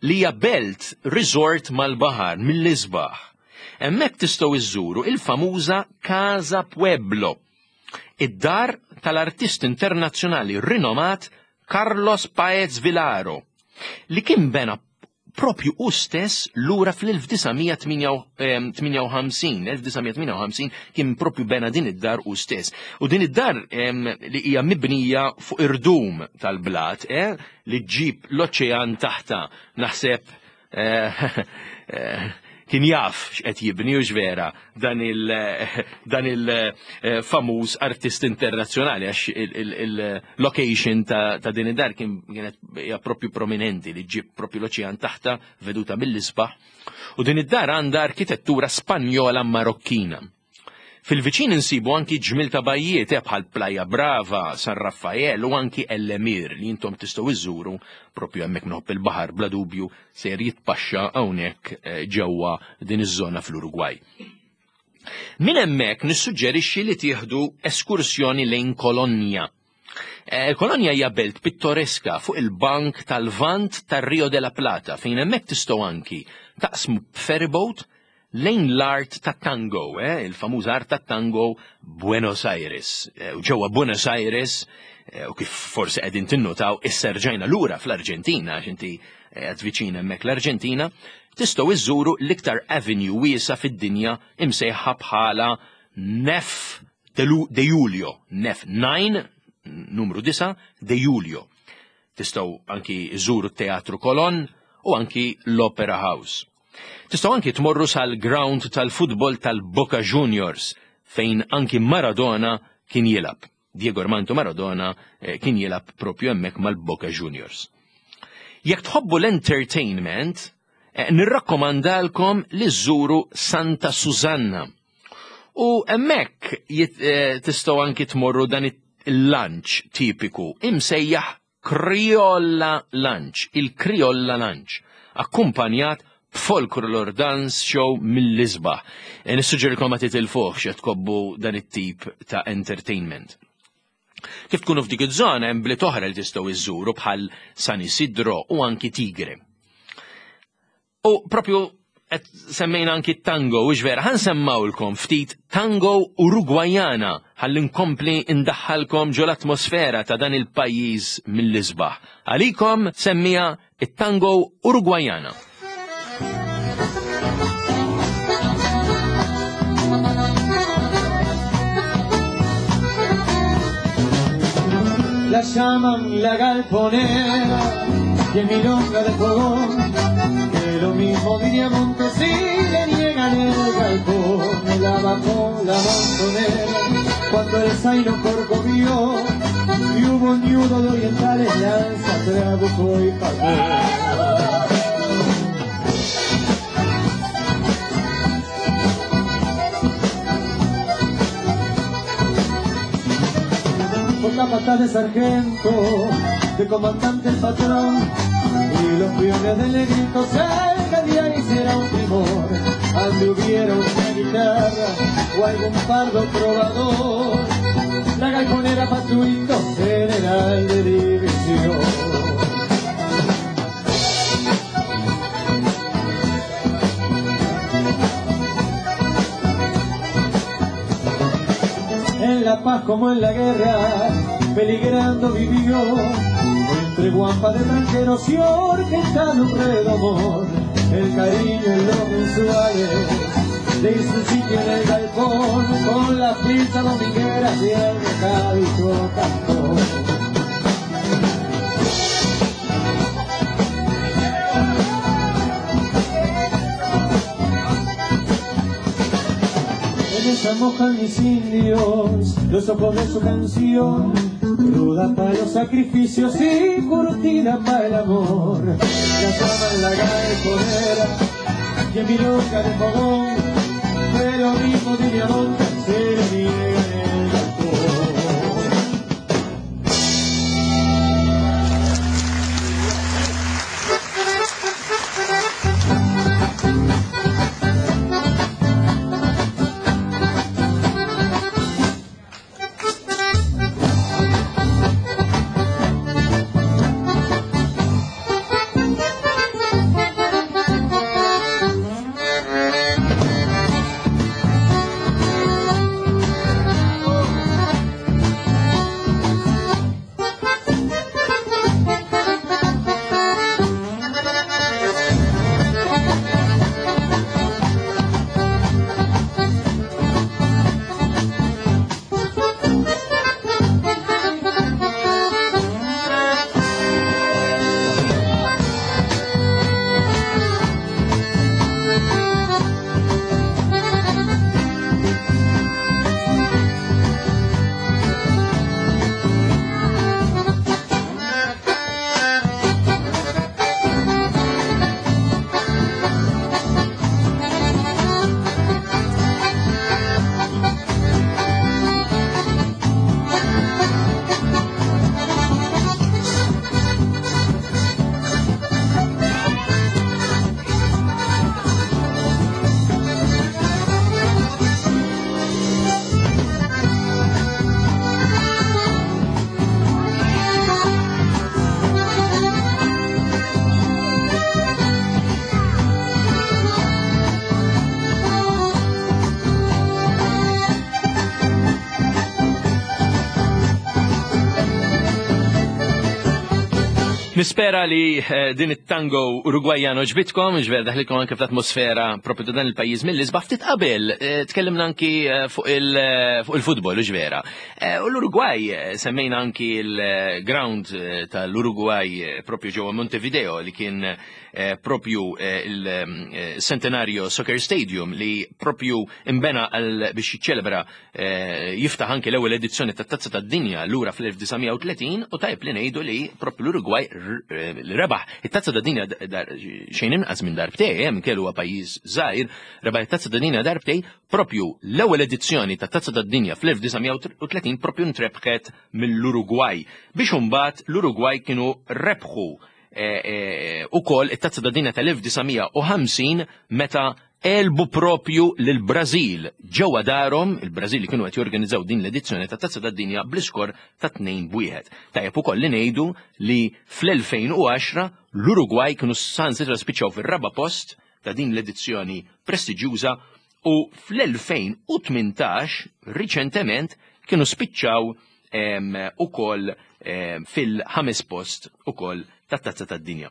li hija belt resort mal-baħar mill-isbaħ. Hemmhekk tistgħu iżżuru il-famuża Casa Pueblo, id-dar tal-artist internazzjonali rinomat Carlos Paez Villaro, li kien bena propju u stess lura fl-elf disa' mija tmienja u ħamsin. elf disa' mija tmienja u ħamsin kien propju bena din id-dar u stess. U din id-dar em, li hija mibnija fuq irdum tal-blat, eh, li ġġib l-oċean taħta, naħseb eh, eh, kien jaf x'qed jibni u ġvera dan il dan il-famuż artist internazzjonali, għax il-location ta' ta' din id-dar kien kienet hija propju prominenti li ġib propju l-oċean taħta, veduta mill-isbaħ. U din id-dar għandha arkitettura Spanjola Marokkina. Fil-viċin insibu anki ġmil ta' bajjiet eh, bħal Playa Brava, San Raffael u anki El Emir li intom tistgħu iżżuru propju hemmhekk. Min iħobb il-baħar bla dubju ser jitpaxxa hawnhekk eh, ġewwa din iż-żona fl-Urugwaj. Min hemmhekk nissuġġerixxi li tieħdu eskursjoni lejn Kolonja. Eh, Kolonja hija belt pittoreska fuq il-bank tal-Vant tar-Rio de la Plata, fejn hemmhekk tistgħu anki taqsmu b'ferryboat lejn l-art ta' tango, eh, il-famuż art ta' tango Buenos Aires. Eh, U ġewwa Buenos Aires, eh, u kif forsi qegħdin tinnotaw, issa rġajna lura fl-Arġentina, għax inti qed viċin hemmhekk l-Arġentina, tistgħu iżżuru l-iktar avenue wiesa fid-dinja imsejħa bħala Nef de Lu- de Julio, Nef nine, numru disgħa, de Julio. Tistgħu anki iżuru t-Teatru Colon u anki l-Opera House. Tistgħu anki tmorru sal-ground tal-futbol tal-Boca Juniors fejn anki Maradona kien jilgħab. Diego Armando Maradona eh, kien jilgħab propju hemmhekk mal-Boca Juniors. Jekk tħobbu l-entertainment, eh, nirrakkomandalkom li żżuru Santa Susanna. U hemmhekk eh, tistgħu anki tmorru dan il-lunch tipiku imsejjaħ Criolla Lunch, il-Criolla Lunch, akkumpanjat b'folklor dance show mill-isbaħ. E, Nissuġġerilkom ma titilfuhx jekk tħobbu dan it-tip ta' entertainment. Kif tkunu f'dik iż-żona hemm bliet oħra li tistgħu iżżuru bħal San Isidro u anki Tigre. U propju qed semmejna anki tango, u vera, ħa nsemmgħulkom ftit tango Urugwajana ħalli nkompli indaħħalkom ġo l-atmosfera ta' dan il-pajjiż mill-isbaħ. Għalikom semmija it-tango Urugwajana. La llaman la galponera y en milonga de fogón, que lo mismo diría Monte si le niegan el galpón. La bajó la montonera cuando el zaino corcovió y hubo un ñudo de orientales, lanza, trabuco y pagó. Con capataz de sargento, de comandante el patrón, y los peones del negrito salgan y ahí será un primor. Ande hubiera una guitarra o algún pardo trovador, la galponera Patuito, general de división. En la paz como en la guerra, peligrando vivió, entre guampa de tranqueros y orquesta de un redomón. El cariño en los mensuales le hizo un sitio en el galpón, con la pizza dominguera y el recadito cantón. En esa mojan mis indios los ojos de su canción, cruda pa' los sacrificios y curtida pa' el amor. La llaman la galponera y en milonga de fogón, pero mismo diría Monte se le niega en el galpón. Nispera li eh, din it-tango Urugwajjan għoġbitkom, ġver daħlilkom anke fl-atmosfera propju ta' dan il-pajjiż mill-isbaħ. Ftit qabel eh, tkellimna anki eh, fuq il-futbol, ġvera. U l-Urugwaj, semmejna anki il-ground tal-Urugwaj propju ġewwa Montevideo li kien eh, propju eh, il-Centenario Soccer Stadium li propju imbena għal biex jiċċelebra, eh, jiftaħ anki l-ewwel edizzjoni tat-Tazza tad-Dinja lura fl-elf disa' mija u tletin, u tajb li ngħidu li propju l-Uruguay li rebaħ it-Tazza tad-Dinja xejn inqas minn darbtej, hemm kellu huwa pajjiż żgħir, rebaħ it-Tazza tad-Dinja darbtej. Propju l-ewwel edizzjoni tat-Tazza tad-Dinja fl-elf disa' mija u tletin propju ntrebħet mill-Uruguay, biex imbagħad l-Uruguay kienu rebħu ukoll it-Tazza tad-Dinja tal-elf disa' mija u ħamsin meta għelbu propju lil-Brażil ġewwa darhom, il-Brażil li kienu qed jorganizzaw din l-edizzjoni ta' Tazza tad-Dinja, bl-iskor ta' tnejn b'wieħed. Tajjeb ukoll li ngħidu li fl-elfejn u għaxra l-Uruguay kienu saħansitra spiċċaw fir-raba' post ta' din l-edizzjoni prestiġjuża u fl-elfejn u tmintax riċentement kienu spiċċaw ukoll fil-ħames post ukoll tat-Tazza tad-Dinja.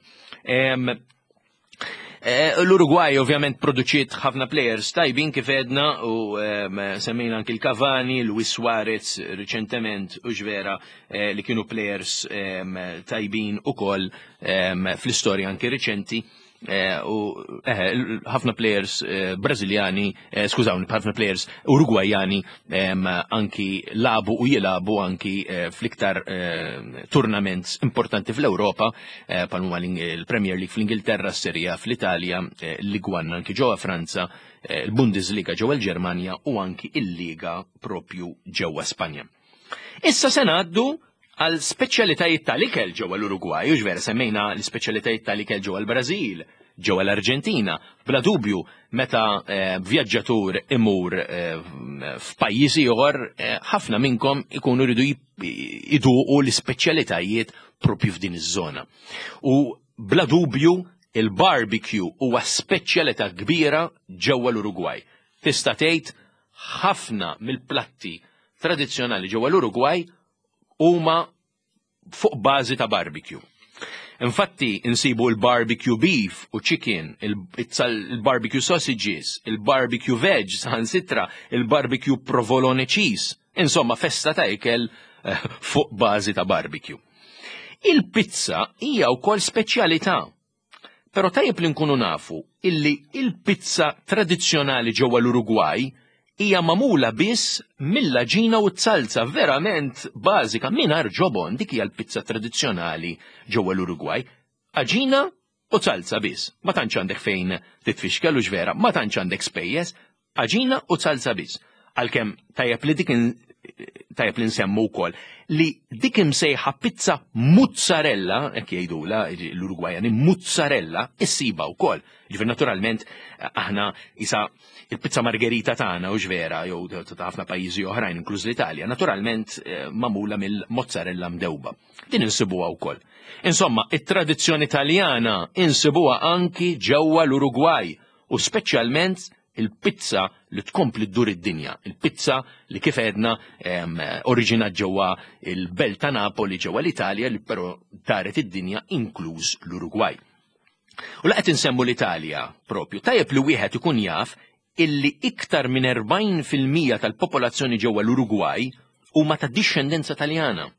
Eh, L-Uruguay ovvjament produċiet ħafna players tajbin, kif edna u semmejna anki l-Cavani, Luis Suarez riċentement u ġvera eh, li kienu players tajbin ukoll fl-istorja anki riċenti. Eh, u ħafna players Brażiljani, skużawni, ħafna players Uruguayani anki lagħbu u jilagħbu anki fl-iktar tournaments importanti fl-Ewropa, bħal il-Premier League fl-Ingilterra, Serie A fl-Italja, Ligue one anki ġewwa Franza, il-Bundesliga ġewwa l-Ġermanja u anki il-Liga propju ġewwa Spanja. Issa se ngħaddu għal speċjalitajiet tal-ikel ġewwa l-Uruguay, u ġvera semmejna l-speċjalitajiet tal-ikel ġewwa l-Brażil, ġewwa l-Arġentina. Bla dubju, meta eh, vjaġġatur imur eh, f'pajjiż ieħor, eh, ħafna minnkom ikunu jridu iduqu l-ispeċjalitajiet propju f'din iż-żona. U bla dubju il-barbecue huwa speċjalità kbira ġewwa l-Uruguay. Tista' tgħid ħafna mill-platti tradizzjonali ġewwa l-Uruguay huma fuq bażi ta' barbecue. Infatti insibu l-barbecue beef u chicken, il-barbecue sausages, il-barbecue veg, saħansitra, il-barbecue provolone cheese. Insomma, festa ta' ikel eh, fuq bażi ta' barbecue. Il-pizza hija wkoll speċjalità. Però tajjeb li nkunu nafu illi il-pizza tradizzjonali ġewwa l-Uruguay hija magħmula biss mill-għaġina u t-salza, verament bażika, mingħajr ġobon. Dik hija l-pizza tradizzjonali ġewwa l-Uruguay. Għaġina u salza biss. Ma tantx għandek fejn titfixkel u ġvera, ma tantx għandek spejjeż, għaġina u salza biss. Għalkemm tajjeb li dik tajjeb li nsemmu wkoll li dik imsejħa pizza mozzarella, hekk jgħidula l-Urugwajani, mozzarella, issiba wkoll. Ġifier naturalment aħna isa il-pizza margherita tagħna u ġvera jew ta' ħafna pajjiżi oħrajn, inkluż l-Italja, naturalment eh, magħmula mill-mozzarella mdewba. Din insibuha wkoll. Insomma, it-tradizzjoni Taljana insibuha anki ġewwa l-Urugwaj u speċjalment il-pizza li tkompli ddur id-dinja, il-pizza li, kif edna, oriġina ġewwa il-belt ta' Napoli ġewwa l-Italja, li però daret id-dinja, inkluż l-Uruguay. U laqet insemmu l-Italja propju, tajjeb li wieħed ikun jaf illi iktar minn erbgħin fil-mija tal-popolazzjoni ġewwa l-Uruguay huma ta' dixxendenza Taljana.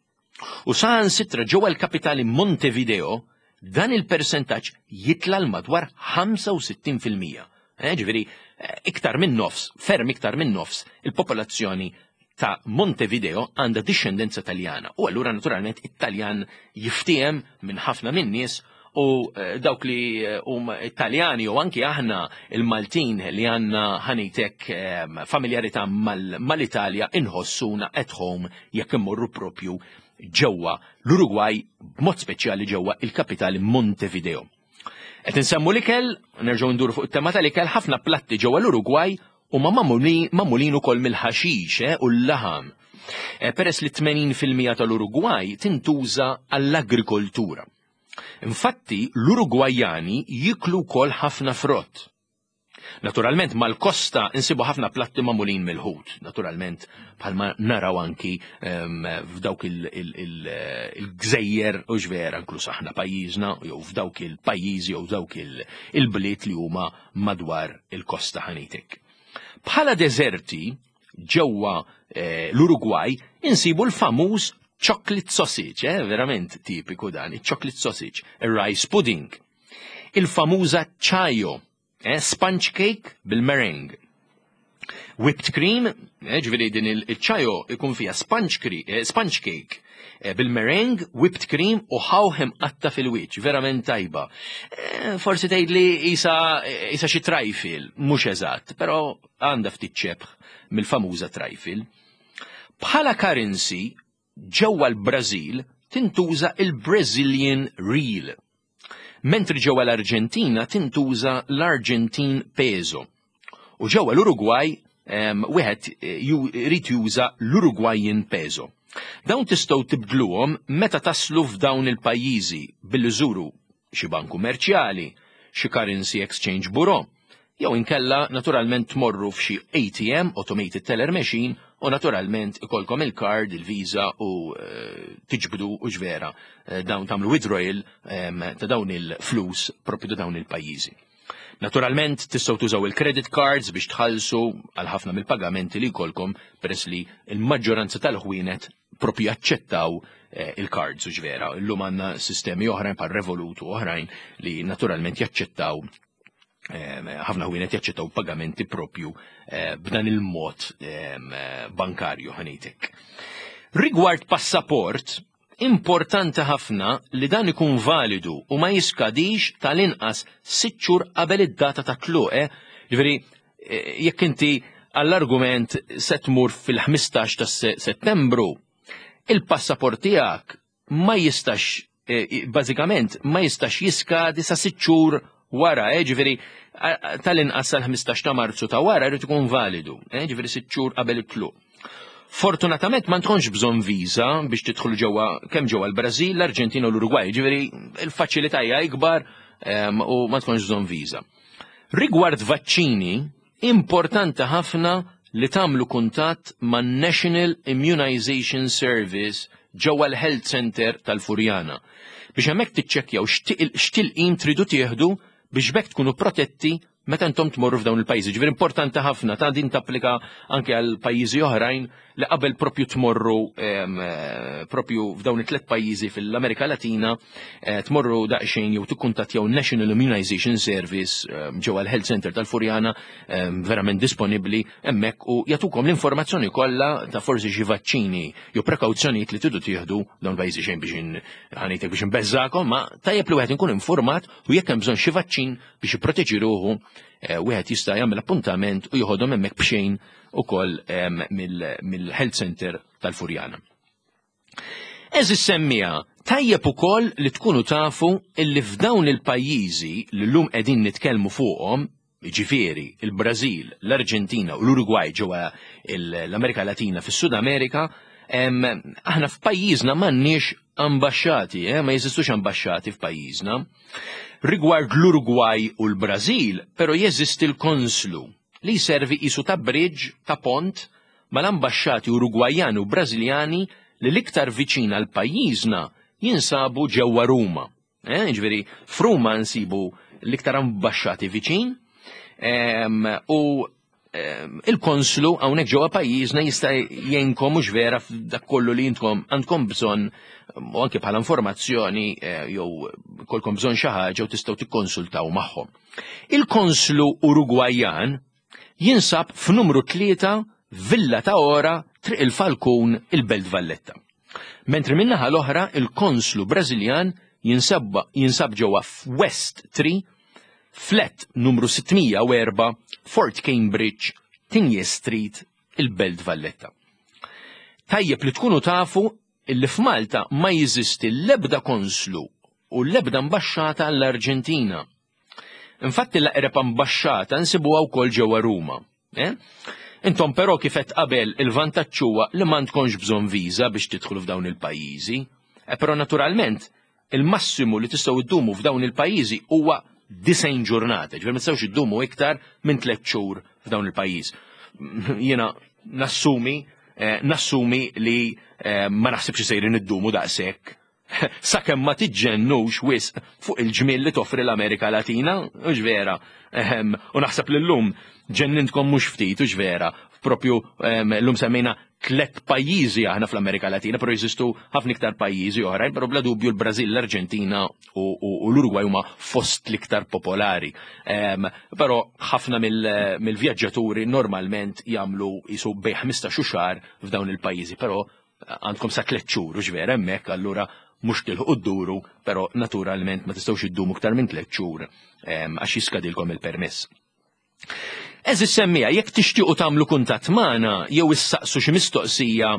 U saħansitra ġewwa l-kapitali Montevideo dan il-persentaġġ jitla l madwar ħamsa u sittin fil-mija. Eh, ġifieri, eh, iktar minn nofs, ferm iktar minn nofs, il-popolazzjoni ta' Montevideo għandha dixxendenza Taljana. U allura naturalment it-Taljan jiftiem minn ħafna minn nies u eh, dawk li huma Italjani u anki aħna il-Maltin li għandna ħanitek familjarità mal-Italja inħossuna at home jekk immorru propju ġewwa l-Uruguay, b'mod speċjali ġewwa il-kapitali Montevideo. Qed insemmu l-ikel, nerġgħu nduru fuq it-tema tal-ikel, ħafna platti ġewwa l-Uruguay huma magħmulin ukoll mill-ħaxix eh, u l-laħam. Eh, peress li tmenin fil-mija tal-Uruguay tintuża għall-agrikoltura. Infatti, l-Urugwajani jiklu wkoll ħafna frott. Naturalment, mal-kosta insibu ħafna platti magħmulin mill-ħut. Naturalment, bħalma naraw anki um, f'dawk il-gżejjer u ġvera, inkluż aħna pajjiżna, jew f'dawk il-pajjiżi jew dawk il-bliet li huma madwar il-kosta ħanitek. Bħala deżerti ġewwa eh, l-Uruguay insibu l-famuż chocolate sausage, eh, verament tipiku dan, il-chocolate sausage, il-rice pudding. Il-famuża chayo, eh, sponge cake bil-meringue. Whipped cream, eh, ġifieri din il-chayo ikun fija sponge, eh, sponge cake eh, bil-meringue, whipped cream u ħawħ imqatta' fil-wiċċ, verament tajba. Eh, forsi tgħidli isa, isa xi trifle, mhux eżatt, però għandha ftit xebh mill-famuża trifle. Bħala currency, ġewwa l-Brażil tintuża il-Brazilian Real. Mentri ġewwa l-Arġentina tintuża l-Argentine Peso. U ġewwa l-Uruguay wieħed irid juża l-Uruguayan Peso. Dawn tistgħu tibdluhom meta taslu f'dawn il-pajjiżi billi żuru xi bank kummerċjali, xi currency exchange bureau, jew inkella naturalment tmorru f'xi A T M, Automated Teller Machine, u naturalment ikolkom il-card, il-Visa u uh, tiġbdu u ġvera uh, dawn tagħmlu withdrawal um, ta' dawn il-flus propju ta' dawn il-pajjiżi. Naturalment tistgħu tużaw il-credit cards biex tħallsu għal ħafna mill-pagamenti li jkollkom, peress li il-maġġoranza tal-ħwienet propju jaċċettaw eh, il-cards u ġvera. Illum għandna sistemi oħrajn bħal Revolut u oħrajn li naturalment jaċċettaw, ħafna ħwienet jaċċettaw pagamenti propju eh, b'dan il-mod bankarju, ħa ngħidlek. Rigward passaport, importanti ħafna li dan ikun validu u ma jiskadix tal-inqas sitt xhur qabel id-data ta' tluq. Eh? Ġifieri, eh, jekk inti għall-argument se tmur fil-ħmistax ta' Settembru, il-passaport tiegħek ma jistax, eh, bażikament ma jistax jiskadi sa sitt xhur wara, eh, ġifieri tal-inqas sal-ħmistax ta' Marzu ta' wara jrid ikun validu, eh, ġifieri sitt xhur qabel it-tluq. Fortunatament ma tkunx bżonn viża biex tidħol ġewwa kemm ġewwa l-Brażil, l-Arġentina u l-Urugwaj, ġifieri il-faċilità hija ikbar u ma tkunx bżonn viża. Rigward vaċċini, importanti ħafna li tagħmlu kuntatt man National Immunization Service ġewwa l-Health Center tal-Furjana biex hemmhekk tiċċekkjaw x'tilqim tridu tieħdu biex b'hekk tkunu protetti meta intom tmorru f'dawn il-pajjiżi. Ġifieri importanti ħafna ta' din tapplika anke għal pajjiżi oħrajn li qabel propju tmorru eh, propju f'dawn it-tliet pajjiżi fil-Amerika Latina, eh, tmorru daqsxejn jew tikkuntattjaw National Immunization Service ġewwa l-Health Center tal-Furjana, verament disponibbli hemmhekk u jagħtukom l-informazzjoni kollha ta' forsi xi vaċċini jew prekawzjonijiet li tridu tieħdu dawn pajjiżi. Xejn biex ħa ngħidlek biex nbeżżakom, ma tajjeb li wieħed inkun informat u jekk hemm bżonn xi vaċċin biex jipproteġi ruħu, eh, wieħed jista' jagħmel appuntament u joħodhom hemmhekk b'xejn ukoll mill-Health Center tal-Furjana. Għeżież semmiegħa, tajjeb ukoll li tkunu tafu illi f'dawn il-pajjiżi li llum qegħdin nitkellmu fuqhom, ġifieri il-Brażil, l-Arġentina u l-Uruguay ġewwa l-Amerika Latina fis-Sud Amerika, aħna f'pajjiżna m'għandniex ambaxxati, eh, ma jeżistux ambaxxati f'pajjiżna. Rigward l-Uruguay u l-Brażil, però jeżisti l-konslu li jservi qisu ta' bridge, ta' pont mal-ambaxxati Urugwajani u Brażiljani li l-iktar viċin għal pajjiżna jinsabu ġewwa Ruma. Eh, ġifieri, f'Ruma nsibu l-iktar ambaxxati viċin em, u em, il-konslu hawnhekk ġewwa pajjiżna jista' jgħinkom mhux vera f'dak kollu li intkom għandkom bżonn u anke bħala informazzjoni eh, jew kolkom bżonn xi ħaġa u tistgħu tikkonsultaw magħhom. Il-konslu Urugwajan jinsab f'numru tlieta, Villa ta' Ora, Triq il-Falkun, il-Belt Valletta. Mentri min-naħa l-oħra il-konslu Brażiljan jinsab, jinsab ġewwa f'West tlieta, flat numru sitt mija u erbgħa, Fort Cambridge, Tigné Street, il-Belt Valletta. Tajjeb li tkunu tafu illi f'Malta ma jeżisti l-ebda konslu u l-ebda ambaxxata għall-Arġentina. Infatti l-aqreb ambaxxata nsibuha wkoll ġewwa Ruma. Eh? Intom però, kif qed qabel, il-vantaġġ huwa li ma tkunx bżonn viża biex tidħlu f'dawn il-pajjiżi. E però naturalment il-massimu li tistgħu iddumu f'dawn il-pajjiżi huwa disgħin ġurnata, ġifieri ma tistgħux iddumu iktar minn tliet xhur f'dawn il-pajjiż. Jiena nassumi eh, nassumi li eh, ma naħsibx sejrin iddumu daqshekk, sakemm ma tiġġennux wisq fuq il-ġmiel li toffri l-Amerika Latina, u vera. U naħseb li llum ġennintkom mhux ftit, u vera. Propju llum semmejna tlet pajjiżi aħna fl-Amerika Latina, però jeżistu ħafna iktar pajjiżi oħrajn, però bla dubju l-Brażil, l-Arġentina u, u, u l-Uruguay huma fost l-iktar popolari. Um, però ħafna mill-vjaġġaturi normalment jagħmlu jisu bejn ħmistax xahar f'dawn il-pajjiżi, però għandkom sa tliet xhur u vera hemmhekk, allura mhux tilħqu dduru, però naturalment ma tistgħux iddumu iktar minn tliet xhur għax jiskadilkom il-permess. Għeżież semmiegħa, jekk tixtiequ tagħmlu kuntatt magħna jew issaqsu xi mistoqsija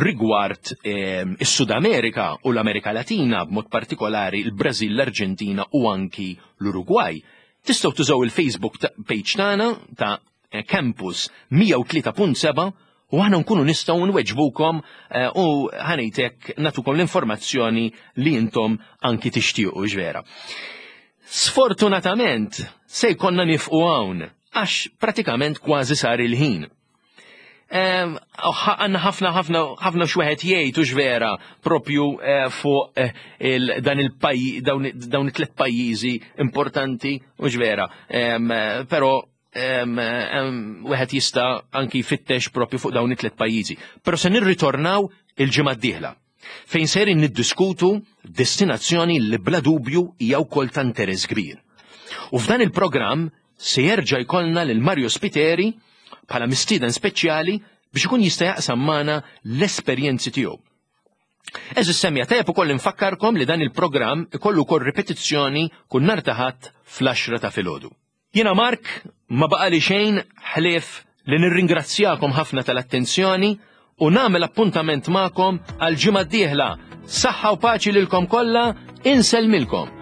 rigward is-Sud Amerika u l-Amerika Latina, b'mod partikolari l-Brażil, l-Arġentina u anki l-Uruguay, tistgħu tużaw il-Facebook page tagħna ta' Campus mija u tlieta punt seba' u aħna nkunu nistgħu nweġbukom u ħanejtek nagħtukom l-informazzjoni li intom anki tixtiequ ġvera. Sfortunatament se jkollna nieqfu hawn għax pratikament kważi sar il-ħin. Għandna ħafna ħafna ħafna x'wieħed jgħid u vera propju fuq dan il-pajjiż, dawn it-tlet pajjiżi importanti u ġvera. Però wieħed jista' anki jfittex propju fuq dawn it-tlet pajjiżi. Però se nirritornaw il-ġimgħa d-dieħla fejn sejrin niddiskutu destinazzjoni li bla dubju hija wkoll ta' interess kbir. U f'dan il-programm se jerġa' jkollna lil Mario Spiteri bħala mistieden speċjali biex ikun jista' jaqsam magħna l-esperjenzi tiegħu. Għeżież semmiegħa, tajjeb ukoll infakkarkom li dan il-programm ikollu wkoll ripetizzjoni kull nhar ta' Ħadd fl-għaxra ta' filgħodu. Jiena Mark, ma baqali xejn ħlief li nirringrazzjakom ħafna tal-attenzjoni u nagħmel appuntament magħkom għal ġimgħa d-dieħla. Saħħa u paċi lilkom kollha, insellmilkom.